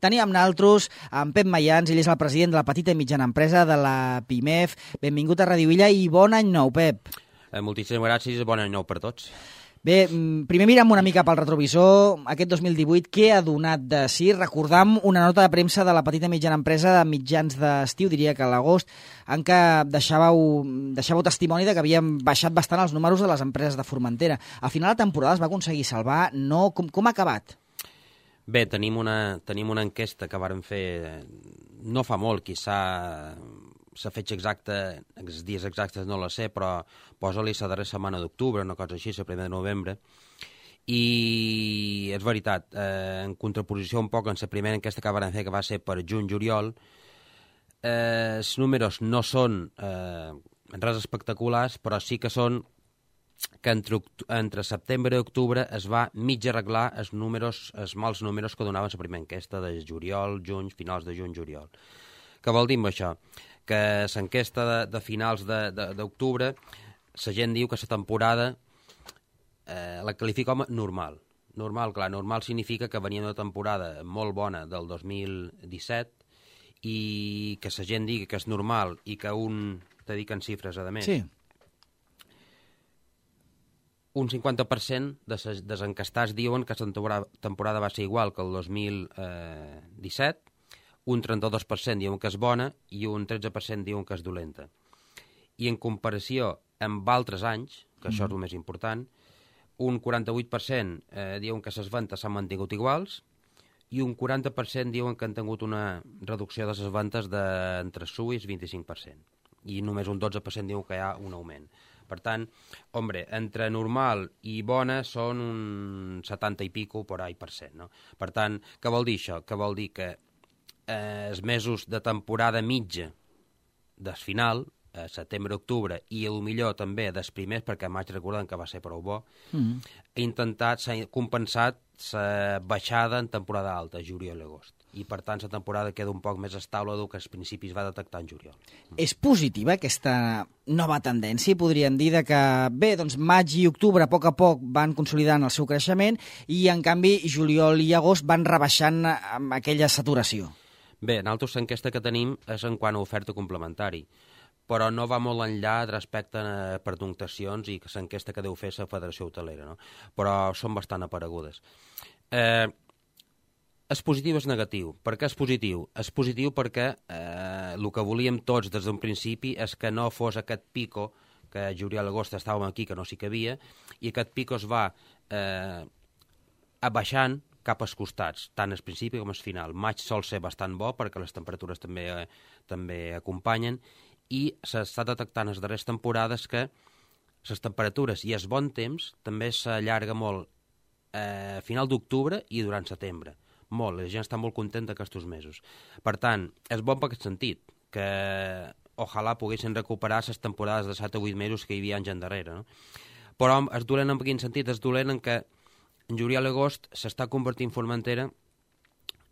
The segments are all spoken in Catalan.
Tenim amb nosaltres en Pep Mayans, ell és el president de la petita i mitjana empresa de la PIMEF. Benvingut a Radio Illa i bon any nou, Pep. Moltíssimes gràcies i bon any nou per tots. Bé, primer mirem una mica pel retrovisor. Aquest 2018, què ha donat de si? Recordam una nota de premsa de la petita i mitjana empresa de mitjans d'estiu, diria que a l'agost, en què deixàveu testimoni de que havien baixat bastant els números de les empreses de Formentera. Al final la temporada es va aconseguir salvar. No, com ha acabat? Bé, tenim una enquesta que vàrem fer no fa molt, la fetge exacta, els dies exactes no la sé, però posa-li la darrera setmana d'octubre, una cosa així, la primera de novembre, i és veritat, en contraposició un poc en la primera enquesta que vam fer, que va ser per juny-juliol, els números no són res espectaculars, però sí que són que entre setembre i octubre es va mig arreglar els mals números que donaven la primera enquesta de juliol, juny, finals de juny-juliol. Què vol dir amb això? Que l'enquesta de finals d'octubre, la gent diu que la temporada la qualifica com normal. Normal significa que venia una temporada molt bona del 2017 i que la gent digui que és normal i que te dic en xifres, a més. Sí. Un 50% dels encastats diuen que la temporada va ser igual que el 2017, un 32% diuen que és bona i un 13% diuen que és dolenta. I en comparació amb altres anys, que això és el més important, un 48% diuen que les ventes s'han mantingut iguals i un 40% diuen que han tingut una reducció de les ventes d'entre suïs 25%. I només un 12% diuen que hi ha un augment. Per tant, entre normal i bona són un 70 i pico per ahí %, no? Per tant, què vol dir això? Que vol dir que els mesos de temporada mitja del final, setembre-octubre, i millor també dels primers, perquè maig recordem que va ser prou bo, s'ha compensat la baixada en temporada alta, juliol i agost. I per tant la temporada queda un poc més estable del que als principis va detectar en juliol. És positiva aquesta nova tendència, podríem dir, de que bé, doncs maig i octubre a poc van consolidant el seu creixement i en canvi juliol i agost van rebaixant amb aquella saturació. Bé, nosaltres l'enquesta que tenim és en quant a oferta complementari, però no va molt enllà respecte a pernoctacions i l'enquesta que deu fer la Federació Hotelera, no? Però són bastant aparegudes. És positiu o és negatiu? Per què és positiu? És positiu perquè el que volíem tots des d'un principi és que no fos aquest pico, que juliol i agost estàvem aquí, que no s'hi cabia, i aquest pico es va abaixant cap als costats, tant al principi com al final. Maig sol ser bastant bo perquè les temperatures també acompanyen i s'està detectant en les darreres temporades que les temperatures i el bon temps també s'allarga molt a final d'octubre i durant setembre. Molt, la gent està molt contenta aquests mesos. Per tant, és bon per aquest sentit, que ojalà poguessin recuperar les temporades de 7 o 8 mesos que hi havia anys endarrere, no? Però és dolent en quin sentit? És dolent en que en juliol i agost s'està convertint Formentera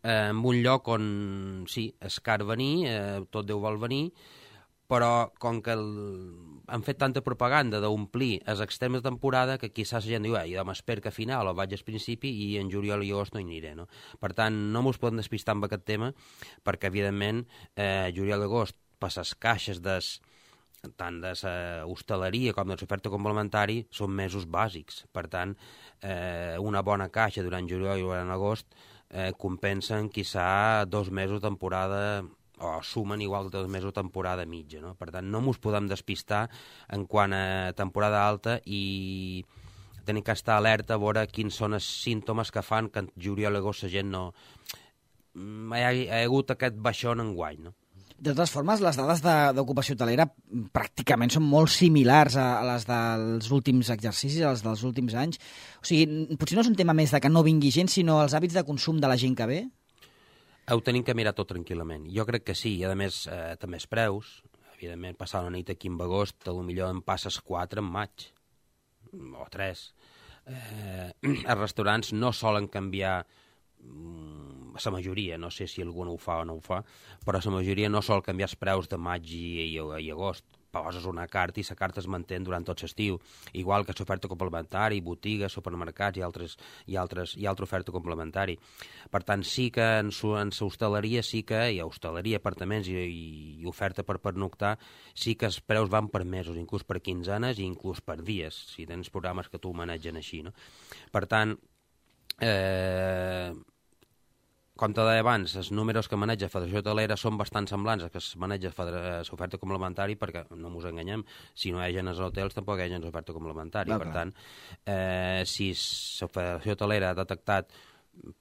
en un lloc on, sí, és car venir, tot Déu vol venir, però com que han fet tanta propaganda d'omplir els extrems de temporada que quizás la gent diu, jo m'espero que a final o vaig al principi i en juliol i agost no hi aniré, no? Per tant, no mos podem despistar amb aquest tema perquè, evidentment, juliol i agost per les caixes tant de l'hostaleria com de l'oferta complementari són mesos bàsics. Per tant, una bona caixa durant juliol i durant agost compensen quizà 2 mesos de temporada o sumen igual que 2 mesos de temporada mitja, no? Per tant, no ens podem despistar en quant a temporada alta i tenim que estar alerta a veure quins són els símptomes que fan que en juliol i agost la gent no... Hi ha hagut aquest baixón enguany, no? De totes formes, les dades d'ocupació hotelera pràcticament són molt similars a les dels últims exercicis, a les dels últims anys. O sigui, potser no és un tema més de que no vingui gent, sinó els hàbits de consum de la gent que ve? Ho tenim que mirar tot tranquil·lament. Jo crec que sí, i a més també els preus. Evidentment, passar una nit aquí en agost, potser en passes 4 en maig, o 3. Els restaurants no solen canviar la majoria, no sé si algun ho fa o no ho fa, però la majoria no sol canviar els preus de maig i agost. poses una carta i la carta es manté durant tot l'estiu, igual que l'oferta complementari, botigues, supermercats i altra oferta complementari. Per tant, sí que en l'hostaleria sí que hi ha hostaleria, apartaments i oferta per pernoctar, sí que els preus van per mesos, inclús per quinzenes i inclús per dies, si tens programes que tu manegen així, no? Per tant, com te deia abans, els números que maneja Federació Hotelera són bastant semblants a que es maneja l'oferta complementari, perquè no ens enganyem, si no hi ha gent als hotels tampoc hi ha gent a l'oferta complementari. Per tant, si la Federació Hotelera ha detectat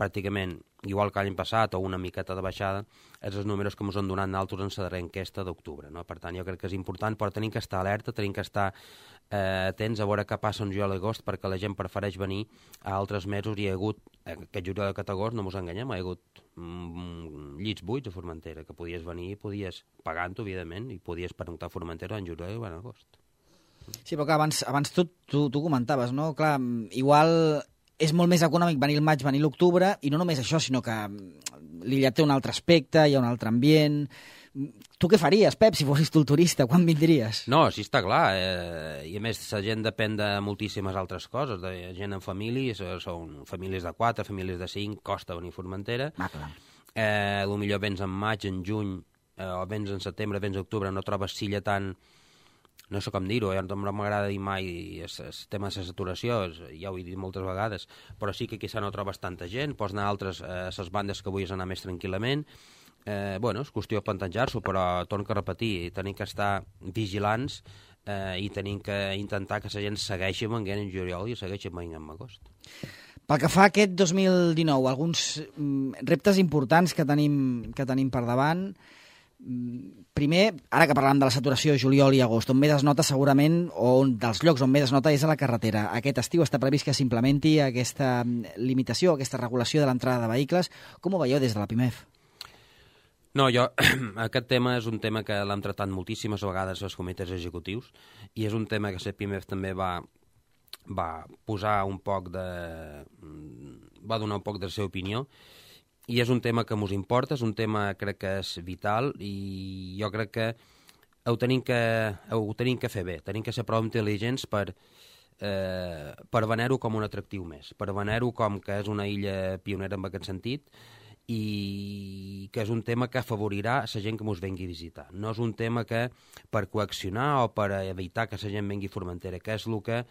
pràcticament igual que l'any passat o una miqueta de baixada, és els números que ens han donat nosaltres en la darrera enquesta d'octubre, no? Per tant, jo crec que és important, però tenim que estar alerta, tenim que estar atents a veure què passa en juliol i agost, perquè la gent prefereix venir a altres mesos. Hi ha hagut, aquest juliol i aquest agost, no ens enganyem, hi ha hagut llits buits a Formentera, que podies venir, podies pagant-ho, evidentment, i podies pernoctar a Formentera en juliol i en agost. Sí, però clar, abans tu comentaves, no? Clar, igual és molt més econòmic venir el maig, venir l'octubre, i no només això, sinó que l'illa té un altre aspecte, hi ha un altre ambient. Tu què faries, Pep, si fossis tu el turista? Quan vindries? No, sí, està clar. I a més, la gent depèn de moltíssimes altres coses. De gent en famílies, són famílies de 4, famílies de 5, costa venir a Formentera. Clar. Potser vens en maig, en juny, o vens en setembre, vens en octubre, no trobes silla tan... No sé com dir-ho, no m'agrada dir mai el tema de la saturació, ja ho he dit moltes vegades, però sí que quizà no trobes tanta gent, pots anar a altres, les bandes que vulguis anar més tranquil·lament. És qüestió de plantejar-s'ho, però torno a repetir, tenim que estar vigilants i tenim que intentar que la gent segueixi venint en juliol i segueixi venint en agost. Pel que fa a aquest 2019, alguns reptes importants que tenim per davant. Primer, ara que parlàvem de la saturació juliol i agost, on més es nota segurament, o un dels llocs on més es nota és a la carretera. Aquest estiu està previst que s'implementi aquesta limitació, aquesta regulació de l'entrada de vehicles. Com ho veieu des de la PIMEF? No, aquest tema és un tema que l'hem tratat moltíssimes vegades als comitès executius i és un tema que la PIMEF també va posar un poc va donar un poc de la seva opinió. I és un tema que ens importa, és un tema crec que és vital i jo crec que ho tenim que fer bé, tenim que ser prou intel·ligents per vener-ho com un atractiu més, per vener-ho com que és una illa pionera en aquest sentit i que és un tema que afavorirà la gent que ens vengui a visitar. No és un tema que per coaccionar o per evitar que la gent vengui a Formentera, que és el que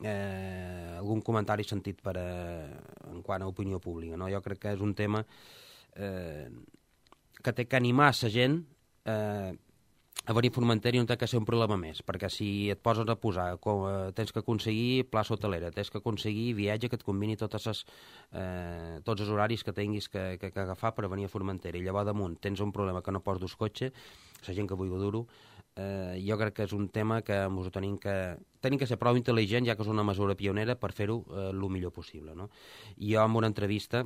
algun comentari sentit en quant a opinió pública, no? Jo crec que és un tema que té que animar la gent a venir a Formentera i no té que ser un problema més, perquè si et poses a posar tens que aconseguir plaça hotelera, tens que aconseguir viatge que et combini tots els horaris que tinguis que agafar per venir a Formentera i llavors damunt tens un problema que no pots dur cotxe, la gent que vulgui dur-ho, jo crec que és un tema que tenim que ser prou intel·ligents, ja que és una mesura pionera, per fer-ho el millor possible, no? I jo en una entrevista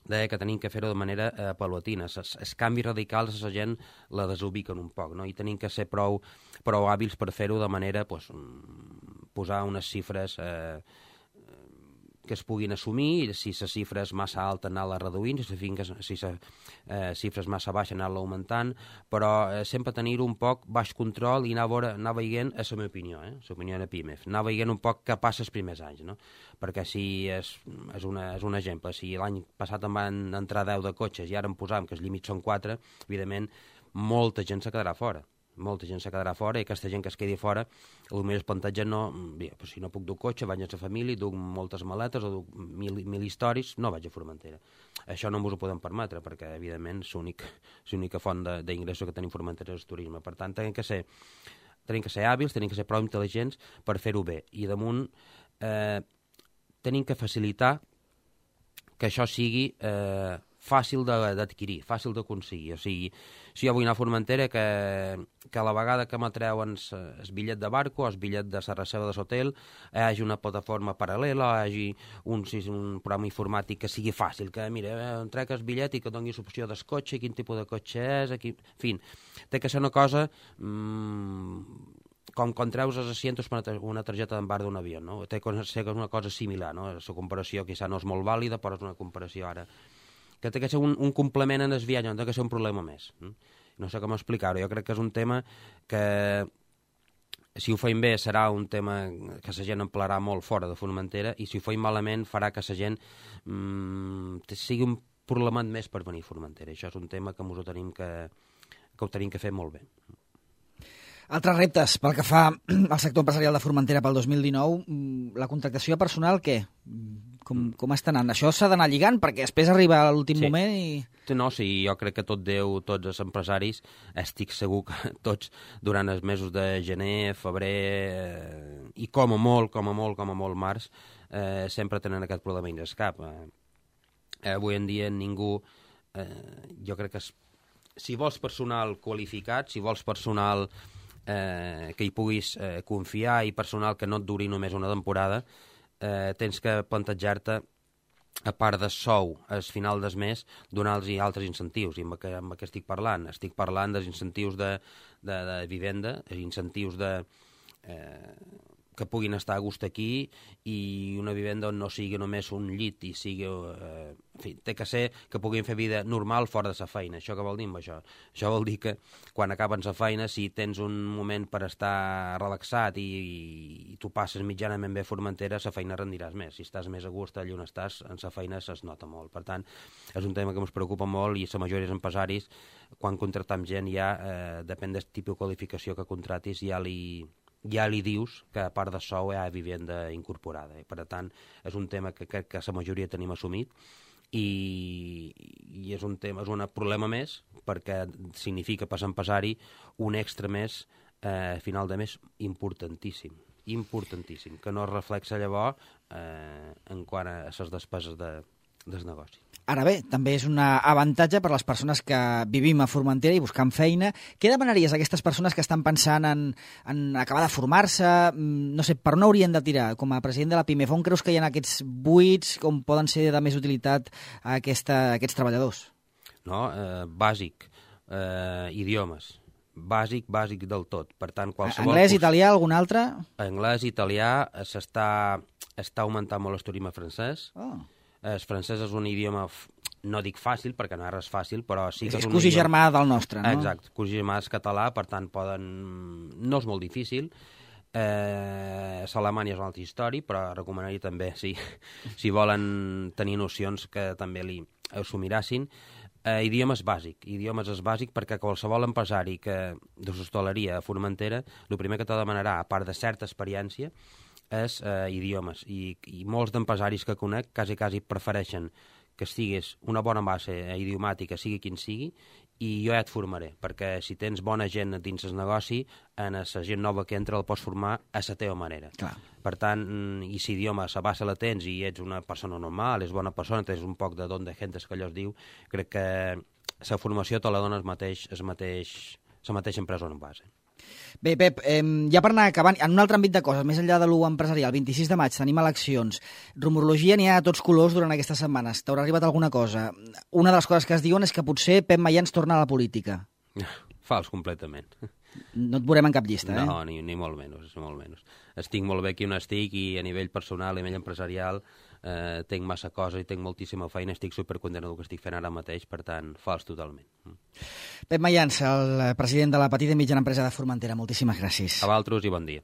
deia que tenim que fer-ho de manera paulatina. Els canvis radicals a la gent la desubiquen un poc, no? I tenim que ser prou hàbils per fer-ho de manera posar unes xifres que es puguin assumir, i si la xifra és massa alta anar-la reduint, si la xifra és massa baixa anar-la augmentant, però sempre tenir-ho un poc baix control i anar veient, és la meva opinió, l'opinió de PIMEF, anar veient un poc què passa els primers anys, no? Perquè si és un exemple, si l'any passat em van entrar 10 de cotxes i ara em posàvem que els límits són 4, evidentment molta gent se quedarà fora. Molta gent se quedarà fora i aquesta gent que es quedi fora potser es planteja si no puc dur cotxe, vaig a la família, duc moltes maletes o duc mil històries, no vaig a Formentera. Això no ens ho podem permetre perquè evidentment l'única font d'ingressos que tenim a Formentera és el turisme. Per tant, tenim que ser hàbils, tenim que ser prou intel·ligents per fer-ho bé i damunt tenim que facilitar que això sigui fàcil d'adquirir, fàcil d'aconseguir. O sigui, si jo vull anar a Formentera, que a la vegada que m'atreuen el bitllet de barco o el bitllet de la reserva de l'hotel hi hagi una plataforma paral·lela, hi hagi un programa informàtic que sigui fàcil, que mira, em trec el bitllet i que doni l'opció del cotxe, quin tipus de cotxe és, en fi, té que ser una cosa com quan treus els asientos per una targeta d'embarc d'un avió, no? Té que ser una cosa similar, no? La comparació quizà no és molt vàlida, però és una comparació ara que té que ser un complement en el viatge, no té que ser un problema més. No sé com explicar-ho. Jo crec que és un tema que si ho feim bé serà un tema que la gent en parlarà molt fora de Formentera, i si ho feim malament farà que la gent sigui un problema més per venir a Formentera. Això és un tema que ho tenim que fer molt bé. Altres reptes pel que fa al sector empresarial de Formentera pel 2019, la contractació personal, què? Com està anant? Això s'ha d'anar lligant, perquè després arriba a l'últim moment i... No, sí, jo crec que tots els empresaris, estic segur que tots, durant els mesos de gener, febrer i com a molt març, sempre tenen aquest problema dins cap. Avui en dia ningú, jo crec que si vols personal qualificat, si vols personal que hi puguis confiar i personal que no et duri només una temporada, tens que plantejar-te, a part de sou al final del mes, donar-los altres incentius. I amb què estic parlant? Estic parlant dels incentius de vivenda, incentius que puguin estar a gust aquí, i una vivenda on no sigui només un llit i sigui... en fi, té que ser que puguin fer vida normal fora de la feina. Això què vol dir amb això? Això vol dir que quan acaben la feina, si tens un moment per estar relaxat i tu passes mitjanament bé a Formentera, la feina rendiràs més. Si estàs més a gust allà on estàs, en la feina es nota molt. Per tant, és un tema que ens preocupa molt, i la majoria dels empresaris, quan contractem gent, ja depèn del tipus de qualificació que contratis, ja li dius que a part de sou hi ha vivenda incorporada. Per tant, és un tema que crec que la majoria tenim assumit, i és un problema més, perquè significa per l'empresari un extra més a final de mes importantíssim, que no es reflexa llavors en quant a les despeses del negoci. Ara bé, també és un avantatge per a les persones que vivim a Formentera i buscant feina. Què demanaries a aquestes persones que estan pensant en acabar de formar-se? No sé, per on haurien de tirar? Com a president de la PIMEF, on creus que hi ha aquests buits com poden ser de més utilitat a aquests treballadors? No, bàsic, idiomes. Bàsic del tot. Per tant, qualsevol anglès, italià, algun altre? Anglès, italià, està augmentant molt el turisme francès. El francès és un idioma, no dic fàcil, perquè no és fàcil, però sí que és un idioma... cosí germà del nostre, no? Exacte, cosí germà és català, per tant no és molt difícil. L'Alemanya és una altra història, però recomanaria també, si volen tenir nocions, que també s'ho mirassin. Idiomes és bàsic, perquè qualsevol empresari de l'hostaleria a Formentera, el primer que te demanarà, a part de certa experiència, és idiomes, i molts d'empresaris que conec quasi prefereixen que estiguis una bona base idiomàtica, sigui quin sigui, i jo ja et formaré, perquè si tens bona gent dins el negoci, en la gent nova que entra el pots formar a la teva manera. Clar. Per tant, i si idioma la base la tens i ets una persona normal, és bona persona, tens un poc de don de gentes, que allò es diu, crec que la formació te la dona la mateixa empresa en base. Bé, Pep, ja per anar acabant, en un altre àmbit de coses, més enllà de l'empresarial, 26 de maig tenim eleccions. Rumorologia n'hi ha a tots colors durant aquestes setmanes. T'haurà arribat alguna cosa? Una de les coses que es diuen és que potser Pep Mayans torna a la política. Fals, completament. No et veurem en cap llista, No, ni molt menys, Estic molt bé aquí on estic, i a nivell personal, a nivell empresarial, tinc massa cosa i tinc moltíssima feina, estic supercontent del que estic fent ara mateix, per tant, fals totalment. Pep Mayans, el president de la petita i mitjana empresa de Formentera, moltíssimes gràcies. A vosaltres i bon dia.